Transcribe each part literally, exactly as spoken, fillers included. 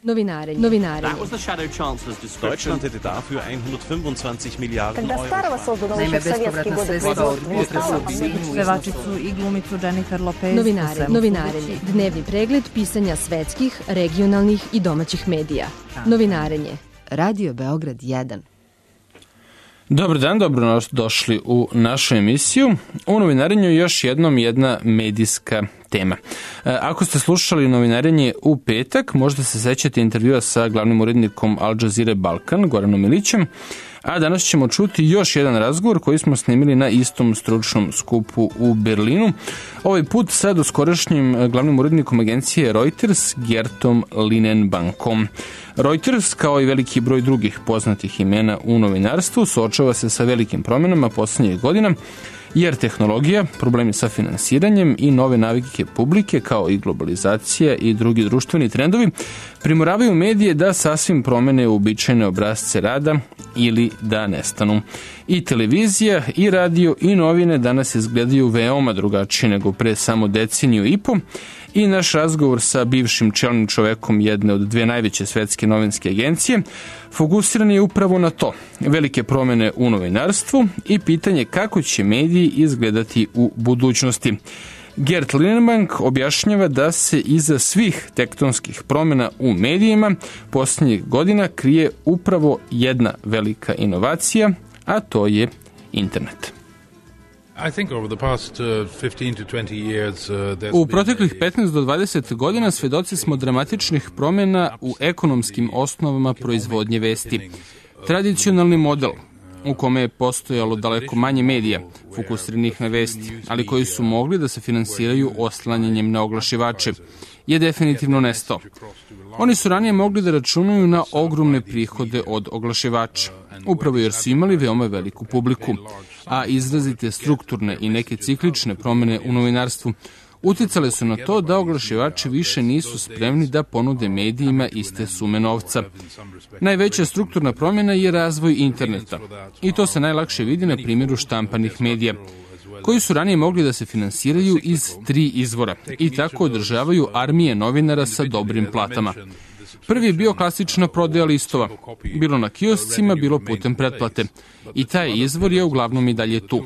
Novinarenje. Novinarenje. Deutschland hätte dafür hundertfünfundzwanzig Milliarden Euro. Naime, bespovratna sredstva od Pevačicu i glumicu Jennifer Lopez. Novinarenje. Novinarenje. Dnevni pregled pisanja svetskih, regionalnih i domaćih medija. Novinarenje. Radio Beograd jedan. Dobar dan, dobro došli u našu emisiju. U novinarenju još jednom jedna medijska tema. Ako ste slušali novinarenje u petak, možda se sećate intervjua sa glavnim urednikom Al Jazeera Balkan, Goranom Milićem, a danas ćemo čuti još jedan razgovor koji smo snimili na istom stručnom skupu u Berlinu. Ovaj put sa doskorašnjim glavnim urednikom agencije Reuters, Gertom Linenbankom. Reuters, kao i veliki broj drugih poznatih imena u novinarstvu, suočava se sa velikim promjenama poslednjih godina, jer tehnologija, problemi sa finansiranjem i nove navike publike, kao i globalizacija i drugi društveni trendovi, primoravaju medije da sasvim promene uobičajene obrasce rada ili da nestanu. I televizija, i radio, i novine danas izgledaju veoma drugačije nego pre samo deceniju i po, i naš razgovor sa bivšim čelnim čovekom jedne od dve najveće svetske novinske agencije fokusiran je upravo na to, velike promene u novinarstvu i pitanje kako će mediji izgledati u budućnosti. Gert Linenbank objašnjava da se iza svih tektonskih promjena u medijima posljednjih godina krije upravo jedna velika inovacija, a to je internet. U proteklih petnaest do dvadeset godina svedoci smo dramatičnih promjena u ekonomskim osnovama proizvodnje vesti. Tradicionalni model u kome je postojalo daleko manje medija fokusiranih na vesti, ali koji su mogli da se finansiraju oslanjanjem na oglašivače, je definitivno nestao. Oni su ranije mogli da računaju na ogromne prihode od oglašivača, upravo jer su imali veoma veliku publiku, a izrazite strukturne i neke ciklične promjene u novinarstvu uticale su na to da oglašivači više nisu spremni da ponude medijima iste sume novca. Najveća strukturna promjena je razvoj interneta i to se najlakše vidi na primjeru štampanih medija, koji su ranije mogli da se finansiraju iz tri izvora i tako održavaju armije novinara sa dobrim platama. Prvi je bio klasična prodaja listova, bilo na kioscima, bilo putem pretplate. I taj izvor je uglavnom i dalje tu.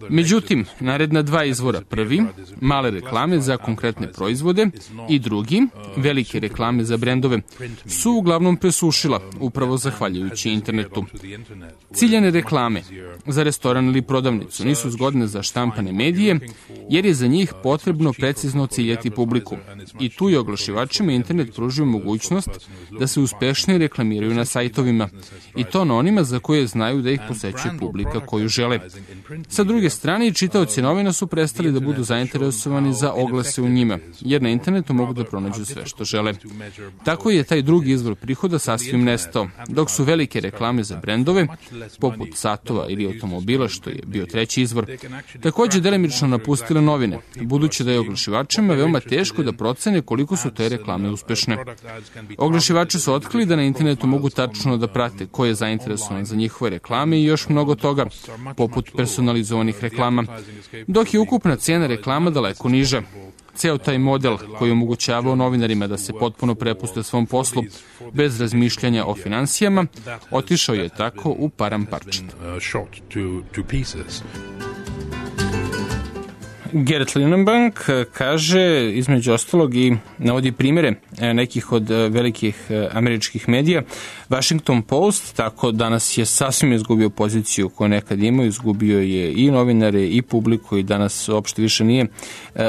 Međutim, naredna dva izvora, prvi, male reklame za konkretne proizvode, i drugi, velike reklame za brendove, su uglavnom presušila, upravo zahvaljujući internetu. Ciljane reklame za restoran ili prodavnicu nisu zgodne za štampane medije, jer je za njih potrebno precizno ciljati publiku. I tu je oglašivačima internet pružio mogućnost da se uspešnije reklamiraju na sajtovima, i to na onima za koje znaju da ih posećuje publika koju žele. Sa druge strane, i čitaoci novina su prestali da budu zainteresovani za oglase u njima, jer na internetu mogu da pronađu sve što žele. Tako je taj drugi izvor prihoda sasvim nestao, dok su velike reklame za brendove, poput satova ili automobila, što je bio treći izvor, takođe delimično napustile novine, budući da je oglašivačima veoma teško da procene koliko su te reklame uspešne. Oglašivači su otkrili da na internetu mogu tačno da prate ko je zainteresovan za njihove reklame i još mnogo toga, poput personalizovanih reklama, dok je ukupna cena reklama daleko niža. Ceo taj model koji omogućavao novinarima da se potpuno prepuste svom poslu bez razmišljanja o finansijama, otišao je tako u param parčad. Gert Linenbank kaže, između ostalog, i navodi primjere nekih od velikih američkih medija. Washington Post tako danas je sasvim izgubio poziciju koju nekad imao, izgubio je i novinare i publiku i danas uopšte više nije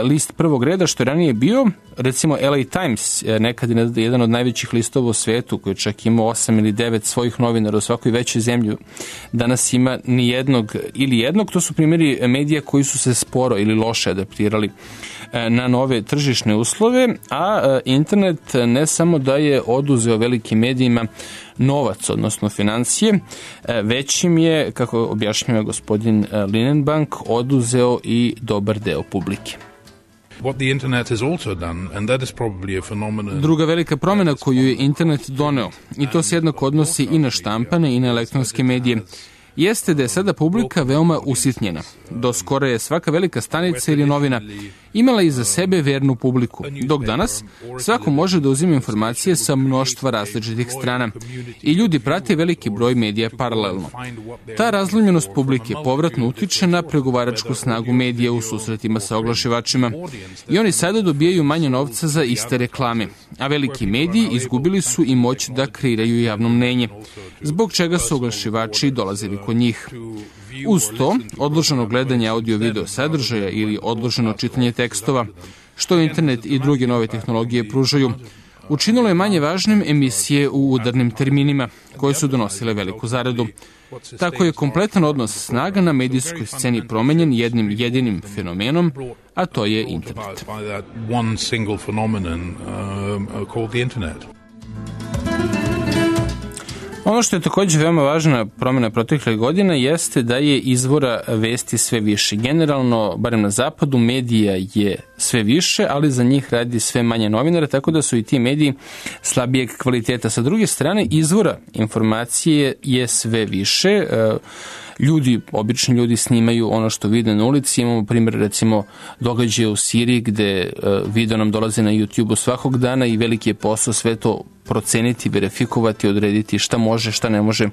list prvog reda, što je ranije bio. Recimo L A Times, nekad je jedan od najvećih listova u svetu, koji čak ima osam ili devet svojih novinara u svakoj većoj zemlji, danas ima ni jednog ili jednog. To su primjeri medija koji su se sporo ili loše adaptirali na nove tržišne uslove, a internet ne samo da je oduzeo velikim medijima novac, odnosno financije, već im je, kako objašnjava gospodin Linenbank, oduzeo i dobar deo publike. Druga velika promjena koju je internet doneo, i to se jednako odnosi i na štampane i na elektronske medije, jeste da je sada publika veoma usitnjena. Do skoro je svaka velika stanica ili novina imala iza sebe vernu publiku, dok danas svako može da uzima informacije sa mnoštva različitih strana i ljudi prate veliki broj medija paralelno. Ta razlomljenost publike povratno utiče na pregovaračku snagu medija u susretima sa oglašivačima i oni sada dobijaju manje novca za iste reklame, a veliki mediji izgubili su i moć da kreiraju javno mnenje, zbog čega su oglašivači dolazili kod njih. Uz to, odloženo gledanje audio-video sadržaja ili odloženo čitanje tekstova, što internet i druge nove tehnologije pružaju, učinilo je manje važnim emisije u udarnim terminima, koje su donosile veliku zaradu. Tako je kompletan odnos snaga na medijskoj sceni promenjen jednim jedinim fenomenom, a to je internet. Ono što je također veoma važna promjena proteklih godina jeste da je izvora vesti sve više. Generalno, barem na zapadu, medija je sve više, ali za njih radi sve manje novinara, tako da su i ti mediji slabijeg kvaliteta. Sa druge strane, izvora informacije je sve više. Ljudi, obični ljudi snimaju ono što vide na ulici. Imamo primjer, recimo, događaje u Siriji gde video nam dolaze na YouTube-u svakog dana i veliki je posao sve to proceniti, verifikovati, odrediti šta može, šta ne može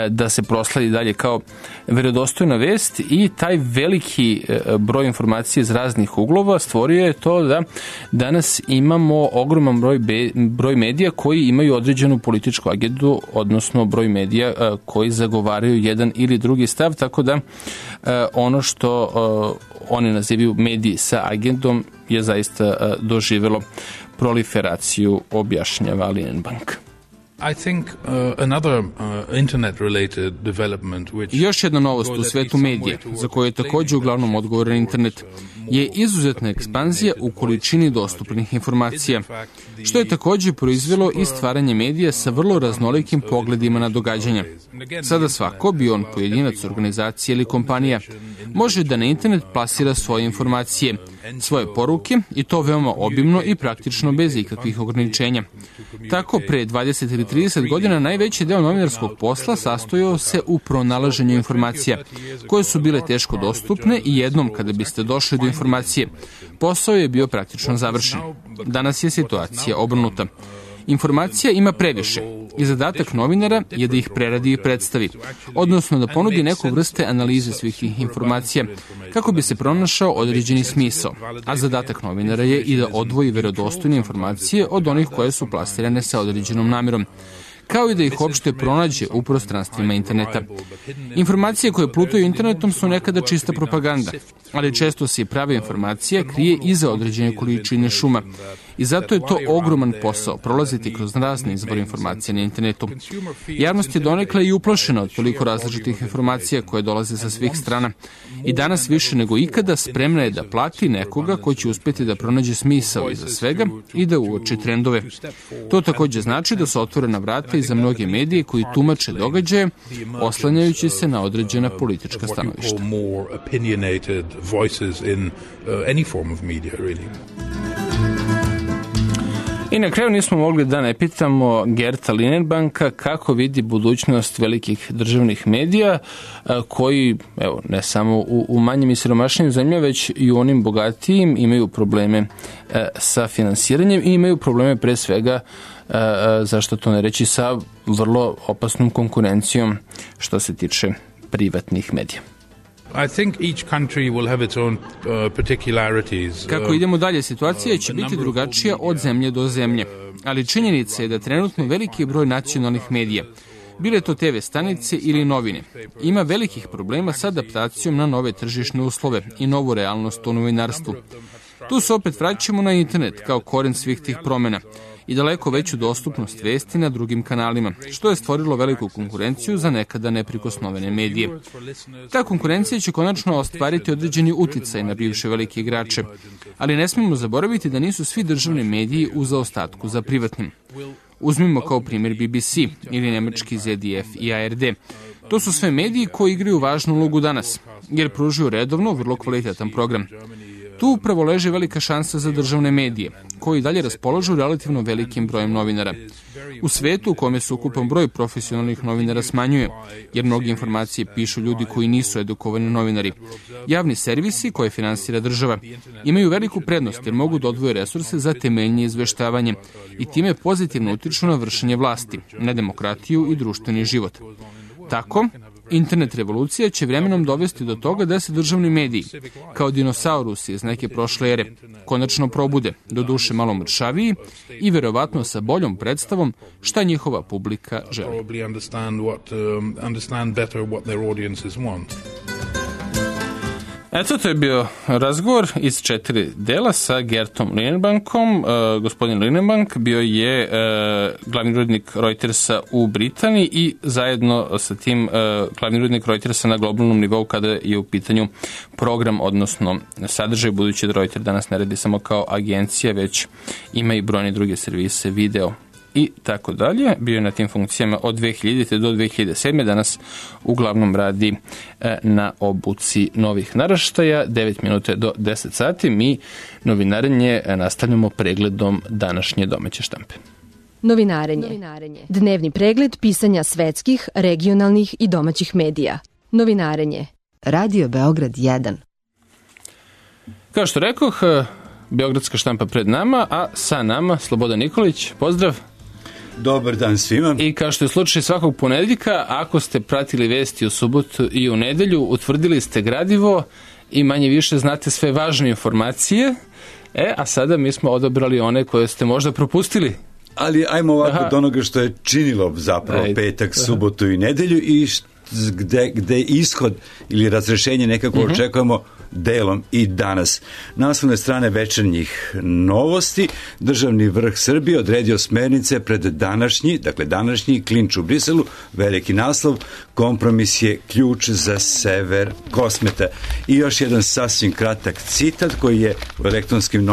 da se prosledi dalje kao verodostojna vest i taj veliki broj informacija iz raznih uglova stvorio je to da danas imamo ogroman broj, be, broj medija koji imaju određenu političku agendu, odnosno broj medija koji zagovaraju jedan ili drugi stav, tako da ono što oni nazivaju mediji sa agendom je zaista doživjelo proliferaciju, objašnjava Linenbank. I think uh, another uh, internet-related development which Još jedna novost u svetu medija, za koju je također uglavnom odgovoran internet, je izuzetna ekspanzija u količini dostupnih informacija, što je također proizvelo i stvaranje medija sa vrlo raznolikim pogledima na događanja. Sada svako, bio on pojedinac, organizacija ili kompanija, može da na internet plasira svoje informacije, svoje poruke i to veoma obimno i praktično bez ikakvih ograničenja. Tako, pre dvadeset ili trideset godina najveći deo novinarskog posla sastojao se u pronalaženju informacija, koje su bile teško dostupne i jednom kada biste došli do informacije, posao je bio praktično završen. Danas je situacija obrnuta. Informacija ima previše i zadatak novinara je da ih preradi i predstavi, odnosno da ponudi neku vrste analize svih tih informacija kako bi se pronašao određeni smisao, a zadatak novinara je i da odvoji verodostojne informacije od onih koje su plasirane sa određenom namjerom, kao i da ih uopšte pronađe u prostranstvima interneta. Informacije koje plutaju internetom su nekada čista propaganda, ali često se i prava informacija krije iza određene količine šuma. I zato je to ogroman posao, prolaziti kroz razne izvore informacije na internetu. Javnost je donekle i uplašena od toliko različitih informacija koje dolaze sa svih strana. I danas više nego ikada spremna je da plati nekoga ko će uspjeti da pronađe smisao iza svega i da uoči trendove. To također znači da su otvorena vrata i za mnoge medije koji tumače događaje, oslanjajući se na određena politička stanovišta. I na kraju nismo mogli da ne pitamo Gerta Linenbanka kako vidi budućnost velikih državnih medija koji, evo, ne samo u, u manjim i siromašnim zemljama, već i u onim bogatijim imaju probleme sa finansiranjem i imaju probleme pre svega, zašto to ne reći, sa vrlo opasnom konkurencijom što se tiče privatnih medija. I think each country will have its own uh, particularities. Kako idemo dalje, situacija će biti drugačija od zemlje do zemlje, ali činjenica je da trenutno veliki broj nacionalnih medija, bile to te ve stanice ili novine, ima velikih problema sa adaptacijom na nove tržišne uslove i novu realnost u novinarstvu. Tu se opet vraćamo na internet kao koren svih tih promjena i daleko veću dostupnost vesti na drugim kanalima, što je stvorilo veliku konkurenciju za nekada neprikosnovene medije. Ta konkurencija će konačno ostvariti određeni uticaj na bivše velike igrače, ali ne smijemo zaboraviti da nisu svi državni mediji u zaostatku za privatnim. Uzmimo kao primjer be be ce ili nemački zet de ef i a er de. To su sve mediji koji igraju važnu ulogu danas, jer pružuju redovno vrlo kvalitetan program. Tu upravo leži velika šansa za državne medije, koji dalje raspolažu relativno velikim brojem novinara. U svetu u kome se ukupan broj profesionalnih novinara smanjuje, jer mnogi informacije pišu ljudi koji nisu edukovani novinari. Javni servisi koje finansira država imaju veliku prednost jer mogu da odvoje resurse za temeljnije izveštavanje i time pozitivno utiču na vršenje vlasti, na demokratiju i društveni život. Tako, internet revolucija će vremenom dovesti do toga da se državni mediji, kao dinosaurusi iz neke prošle ere, konačno probude, do duše malo mršaviji i verovatno sa boljom predstavom šta njihova publika želi. Eto, to je bio razgovor iz četiri dela sa Gertom Linnebankom. Uh, gospodin Linnebank bio je uh, glavni urednik Reutersa u Britaniji i zajedno sa tim uh, glavni urednik Reutersa na globalnom nivou kada je u pitanju program, odnosno sadržaj, budući da Reuters danas ne radi samo kao agencija, već ima i brojne druge servise, video i tako dalje. Bio je na tim funkcijama od dve hiljadite do dve hiljade sedme. Danas uglavnom radi e, na obuci novih naraštaja. devet minuta do deset sati. Mi novinarenje nastavljamo pregledom današnje domaće štampe. Novinarenje. Novinarenje. Dnevni pregled pisanja svetskih, regionalnih i domaćih medija. Novinarenje. Radio Beograd jedan. Kao što rekoh, Beogradska štampa pred nama, a sa nama Slobodan Nikolić. Pozdrav. Dobar dan svima. I kao što je slučaj svakog ponedeljka, ako ste pratili vesti u subotu i u nedelju, utvrdili ste gradivo i manje više znate sve važne informacije, e, a sada mi smo odabrali one koje ste možda propustili. Ali ajmo ovako od onoga što je činilo zapravo Ajde. petak, subotu i nedelju i št, gde, gde ishod ili razrešenje nekako uh-huh. očekujemo delom i danas. Na naslovne strane večernjih novosti, državni vrh Srbije odredio smernice pred današnji, dakle današnji klinč u Briselu, veliki naslov, kompromis je ključ za sever Kosmeta. I još jedan sasvim kratak citat koji je u elektronskim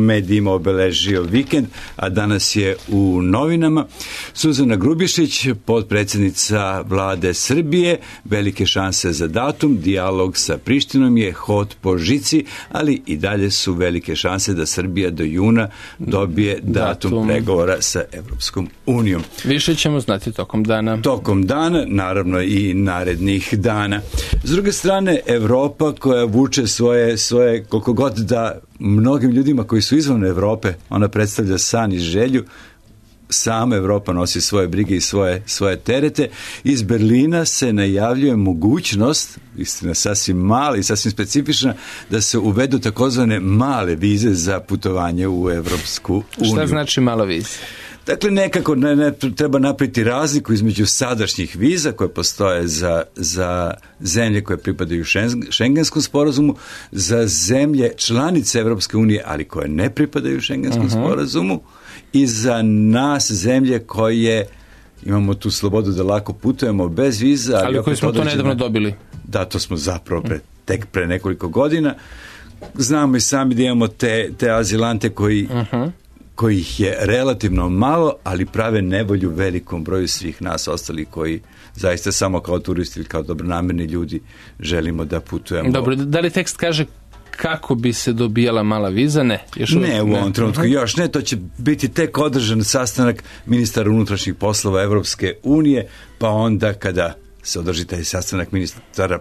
medijima obeležio vikend, a danas je u novinama. Suzana Grubišić, potpredsjednica vlade Srbije, velike šanse za datum, dijalog sa Prištinom je hod po žici, ali i dalje su velike šanse da Srbija do juna dobije datum, datum. pregovora sa Evropskom unijom. Više ćemo znati tokom dana. Tokom dana, naravno i narednih dana. S druge strane, Evropa koja vuče svoje, svoje koliko god da mnogim ljudima koji su izvan Evrope, ona predstavlja san i želju, sama Evropa nosi svoje brige i svoje, svoje terete. Iz Berlina se najavljuje mogućnost, istina sasvim mala i sasvim specifična, da se uvedu takozvane male vize za putovanje u Evropsku uniju. Šta znači mala viza? Dakle, nekako ne, ne, treba napraviti razliku između sadašnjih viza koje postoje za, za zemlje koje pripadaju Šengenskom sporazumu, za zemlje članice Evropske unije, ali koje ne pripadaju Šengenskom uh-huh. sporazumu, i za nas zemlje koje imamo tu slobodu da lako putujemo bez viza. Ali, ali koji smo određena, to nedavno dobili. Da, to smo zapravo pre, tek pre nekoliko godina. Znamo i sami da imamo te, te azilante koji, uh-huh. kojih je relativno malo, ali prave nevolju velikom broju svih nas ostalih koji zaista samo kao turisti ili kao dobronamerni ljudi želimo da putujemo. Dobro, da li tekst kaže kako bi se dobijala mala viza? Ne. Još ne, u ovom trenutku uh-huh. još ne. To će biti tek održan sastanak ministara unutrašnjih poslova Evropske unije, pa onda kada se održi taj sastanak ministara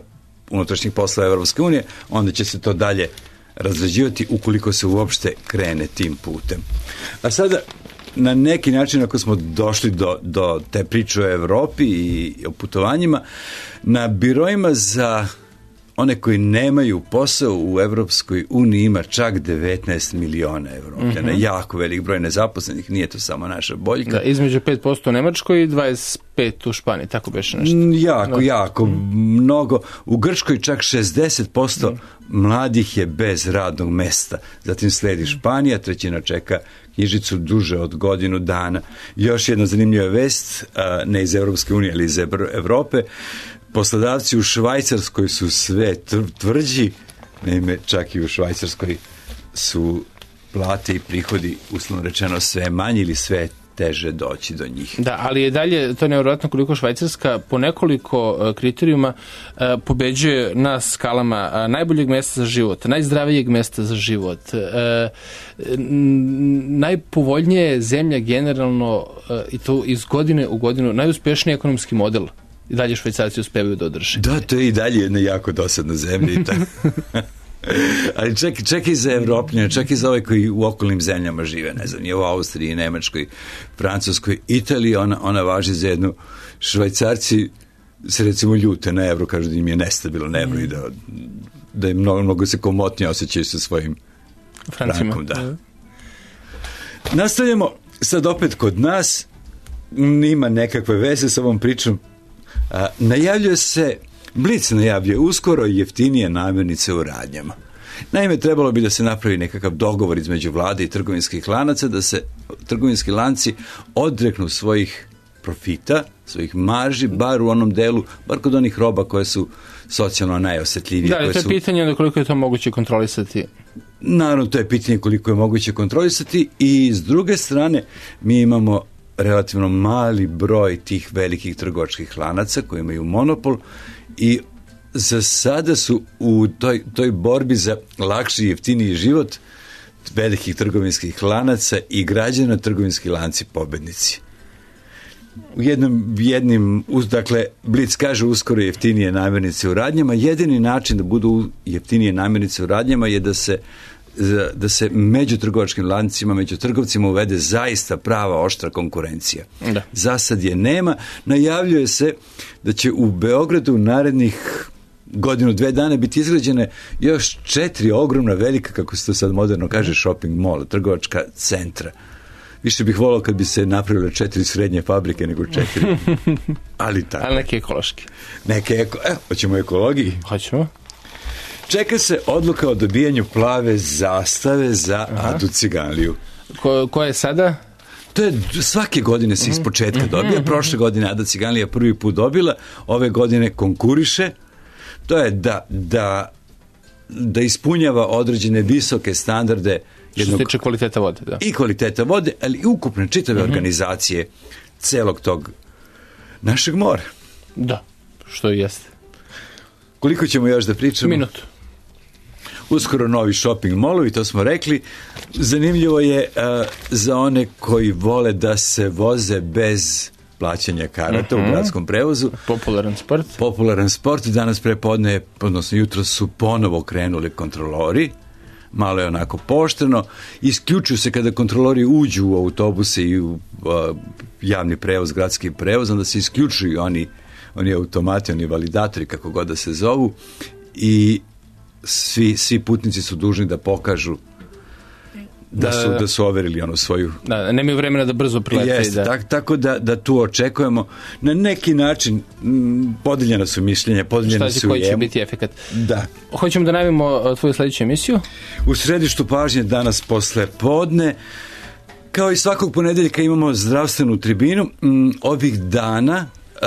unutrašnjih poslova Evropske unije, onda će se to dalje razrađivati ukoliko se uopšte krene tim putem. A sada, na neki način, ako smo došli do, do te priče o Evropi i o putovanjima, na biroima za one koji nemaju posao u Evropskoj uniji ima čak devetnaest miliona Evropljana. Mm-hmm. Jako velik broj nezaposlenih, nije to samo naša boljka. Da, između pet posto u Nemačkoj i dvadeset pet posto u Španiji, tako beše nešto. Jako, da. jako, mm. mnogo. U Grčkoj čak šezdeset posto mm. mladih je bez radnog mesta. Zatim sledi Španija, trećina čeka knjižicu duže od godinu dana. Još jedna zanimljiva vest, ne iz Evropske unije, ali iz Evrope. Poslodavci u Švajcarskoj su sve tvrđi, naime čak i u Švajcarskoj su plate i prihodi, uslovno rečeno, sve manji ili sve teže doći do njih. Da, ali je dalje to nevjerojatno koliko Švajcarska po nekoliko kriterijuma pobeđuje na skalama najboljeg mesta za život, najzdravijeg mesta za život, najpovoljnije zemlja generalno i to iz godine u godinu, najuspešniji ekonomski model. I dalje Švajcarci uspevaju da održe. Da, to je i dalje jedna jako dosadna zemlja. I ali čak, čak i za Evropljane, čak i za ove koji u okolnim zemljama žive, ne znam, je u Austriji, Nemačkoj, Francuskoj, Italiji, ona, ona važi za jednu. Švajcarci se recimo ljute na evro, kažu da im je nestabilno evro i da, da je mnogo, mnogo se komotnije osjećaju sa svojim frankom. Da. Nastavljamo sad opet kod nas, nima nekakve veze sa ovom pričom. A, najavljuje se, Blic najavljuje uskoro jeftinije namirnice u radnjama. Naime, trebalo bi da se napravi nekakav dogovor između vlade i trgovinskih lanaca, da se trgovinski lanci odreknu svojih profita, svojih marži, bar u onom delu, bar kod onih roba koje su socijalno najosetljivije. Da, ali to je su... pitanje koliko je to moguće kontrolisati. Naravno, to je pitanje koliko je moguće kontrolisati i s druge strane mi imamo relativno mali broj tih velikih trgovačkih lanaca koji imaju monopol i za sada su u toj, toj borbi za lakši i jeftiniji život velikih trgovinskih lanaca i građana trgovinski lanci pobednici. U jednom, jednim, dakle, Blic kaže uskoro jeftinije namirnice u radnjama. Jedini način da budu jeftinije namirnice u radnjama je da se da se među trgovačkim lancima, među trgovcima uvede zaista prava oštra konkurencija. Da. Za sad je nema. Najavljuje se da će u Beogradu narednih godinu, dve dana biti izgrađene još četiri ogromna velika, kako se to sad moderno kaže, shopping mall, trgovačka centra. Više bih volao kad bi se napravile četiri srednje fabrike nego četiri. Ali tako. Ali neke ekološki. Neke eko... E, hoćemo ekologiji? Hoćemo. Čeka se odluka o dobijanju plave zastave za Aha. Adu Ciganliju. Ko, ko je sada? To je svake godine se iz početka dobija. Prošle godine Ada Ciganlija prvi put dobila, ove godine konkuriše. To je da, da, da ispunjava određene visoke standarde jednog, što se tiče kvaliteta vode. Da. I kvaliteta vode, ali i ukupne čitave uh-huh. organizacije celog tog našeg mora. Da, što i jeste. Koliko ćemo još da pričamo? Minutu. Uskoro novi shopping mallovi, to smo rekli. Zanimljivo je uh, za one koji vole da se voze bez plaćanja karata uh-huh. u gradskom prevozu. Popularan sport. Popularan sport. Danas prepodne, odnosno jutro su ponovo krenuli kontrolori. Malo je onako pooštreno. Isključuju se kada kontrolori uđu u autobuse i u uh, javni prevoz, gradski prevoz, onda se isključuju oni, oni automati, oni validatori, kako god da se zovu, i svi, svi putnici su dužni da pokažu da su, da su overili ono svoju... Da, nemaju vremena da brzo prilete. Jeste, da. Tak, tako da, da tu očekujemo. Na neki način m, podeljena su mišljenja, podeljena su i koji će biti efekat. Da. Hoćemo da najavimo tvoju sledeću emisiju? U središtu pažnje danas posle podne. Kao i svakog ponedeljka imamo zdravstvenu tribinu. M, ovih dana Uh,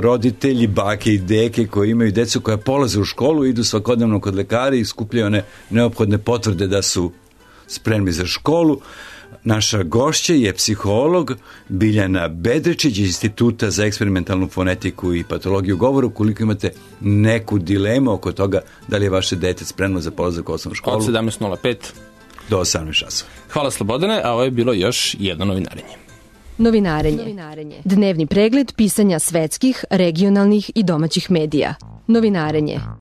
roditelji, bake i deke koji imaju decu koja polaze u školu, idu svakodnevno kod lekara i skupljaju one neophodne potvrde da su spremni za školu. Naša gošća je psiholog Biljana Bedrečić iz Instituta za eksperimentalnu fonetiku i patologiju govora. Ukoliko imate neku dilemu oko toga da li je vaše dete spremno za polazak u osnovnu školu, od sedamnaest nula pet do osamnaest časova. Hvala Slobodane, a ovo je bilo još jedno novinarenje. Novinarenje. Novinarenje. Dnevni pregled pisanja svetskih, regionalnih i domaćih medija. Novinarenje.